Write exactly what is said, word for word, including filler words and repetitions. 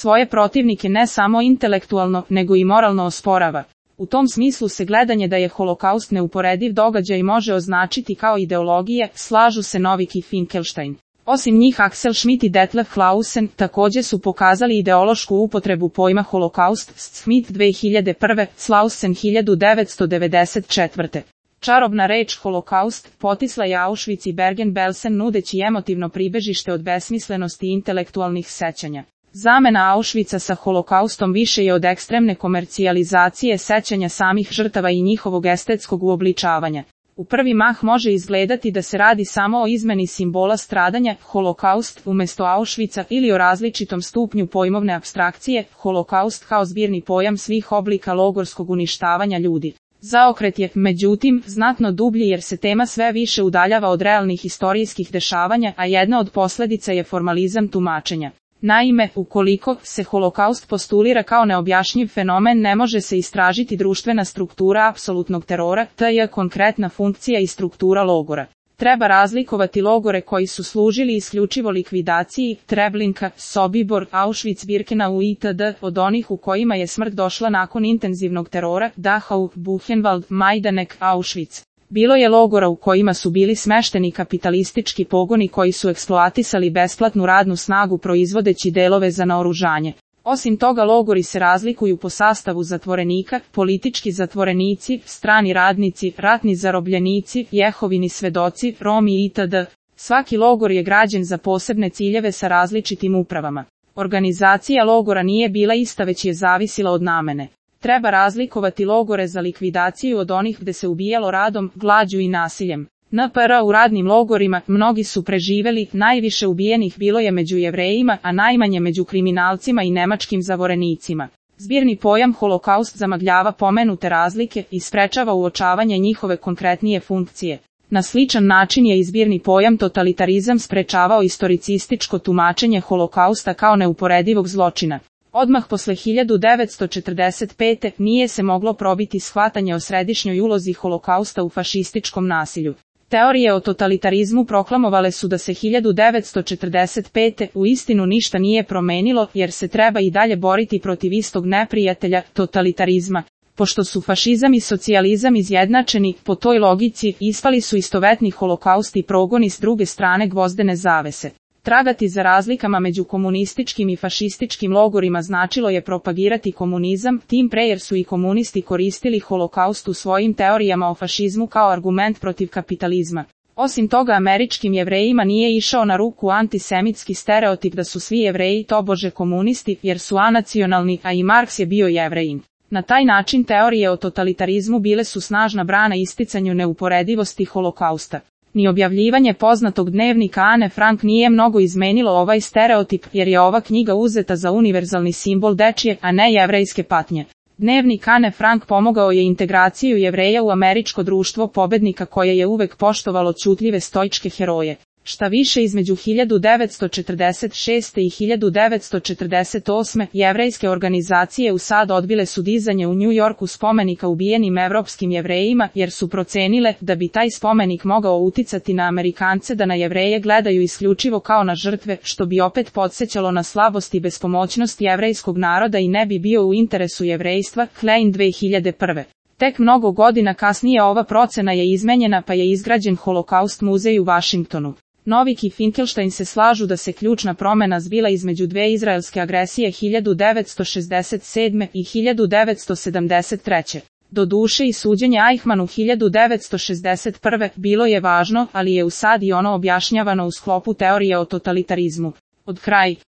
svoje protivnike ne samo intelektualno, nego i moralno osporava. U tom smislu se gledanje da je holokaust neuporediv događaj može označiti kao ideologije, slažu se Novik i Finkelstein. Osim njih Axel Schmitt i Detlef Clausen također su pokazali ideološku upotrebu pojma holokaust, Schmitt dve hiljade prve, Clausen hiljadu devetsto devedeset četvrte. Čarobna reč holokaust potisla je Auschwitz i Bergen-Belsen nudeći emotivno pribežište od besmislenosti i intelektualnih sećanja. Zamena Auschwitza sa holokaustom više je od ekstremne komercijalizacije sećanja samih žrtava i njihovog estetskog uobličavanja. U prvi mah može izgledati da se radi samo o izmeni simbola stradanja, holokaust, umjesto Auschwitza ili o različitom stupnju pojmovne apstrakcije, holokaust kao zbirni pojam svih oblika logorskog uništavanja ljudi. Zaokret je, međutim, znatno dublji jer se tema sve više udaljava od realnih historijskih dešavanja, a jedna od posljedica je formalizam tumačenja. Naime, ukoliko se holokaust postulira kao neobjašnjiv fenomen, ne može se istražiti društvena struktura apsolutnog terora, te je konkretna funkcija i struktura logora. Treba razlikovati logore koji su služili isključivo likvidaciji, Treblinka, Sobibor, Auschwitz, Birkenau itd. od onih u kojima je smrt došla nakon intenzivnog terora, Dachau, Buchenwald, Majdanek, Auschwitz. Bilo je logora u kojima su bili smešteni kapitalistički pogoni koji su eksploatisali besplatnu radnu snagu proizvodeći delove za naoružanje. Osim toga logori se razlikuju po sastavu zatvorenika, politički zatvorenici, strani radnici, ratni zarobljenici, Jehovini svedoci, Romi itd. Svaki logor je građen za posebne ciljeve sa različitim upravama. Organizacija logora nije bila ista već je zavisila od namene. Treba razlikovati logore za likvidaciju od onih gde se ubijalo radom, glađu i nasiljem. N P R u radnim logorima mnogi su preživeli, najviše ubijenih bilo je među Jevrejima, a najmanje među kriminalcima i nemačkim zavorenicima. Zbirni pojam holokaust zamagljava pomenute razlike i sprečava uočavanje njihove konkretnije funkcije. Na sličan način je i zbirni pojam totalitarizam sprečavao istoricističko tumačenje holokausta kao neuporedivog zločina. Odmah posle hiljadu devetsto četrdeset pete nije se moglo probiti shvatanje o središnjoj ulozi holokausta u fašističkom nasilju. Teorije o totalitarizmu proklamovale su da se hiljadu devetsto četrdeset pete u istinu ništa nije promenilo jer se treba i dalje boriti protiv istog neprijatelja, totalitarizma. Pošto su fašizam i socijalizam izjednačeni, po toj logici ispali su istovetni holokaust i progoni s druge strane gvozdene zavese. Tragati za razlikama među komunističkim i fašističkim logorima značilo je propagirati komunizam, tim pre jer su i komunisti koristili holokaust u svojim teorijama o fašizmu kao argument protiv kapitalizma. Osim toga američkim Jevrejima nije išao na ruku antisemitski stereotip da su svi Jevreji tobože komunisti jer su anacionalni, a i Marks je bio Jevrejin. Na taj način teorije o totalitarizmu bile su snažna brana isticanju neuporedivosti holokausta. Ni objavljivanje poznatog dnevnika Ane Frank nije mnogo izmenilo ovaj stereotip, jer je ova knjiga uzeta za univerzalni simbol dečije, a ne jevrejske patnje. Dnevnik Ane Frank pomogao je integraciju Jevreja u američko društvo pobednika koje je uvek poštovalo ćutljive stoičke heroje. Šta više, između hiljadu devetsto četrdeset šeste i hiljadu devetsto četrdeset osme jevrejske organizacije u sad odbile su dizanje u New Yorku spomenika ubijenim evropskim Jevrejima jer su procenile da bi taj spomenik mogao uticati na Amerikance da na Jevreje gledaju isključivo kao na žrtve, što bi opet podsjećalo na slabost i bespomoćnost jevrejskog naroda i ne bi bio u interesu jevrejstva. Klein dve hiljade prve. Tek mnogo godina kasnije ova procena je izmenjena pa je izgrađen Holokaust muzej u Vašingtonu. Novik i Finkelstein se slažu da se ključna promena zbila između dve izraelske agresije hiljadu devetsto šezdeset sedme i hiljadu devetsto sedamdeset treće. Doduše i suđenje Eichmannu hiljadu devetsto šezdeset prve bilo je važno, ali je u sad i ono objašnjavano u sklopu teorije o totalitarizmu. Od kraj.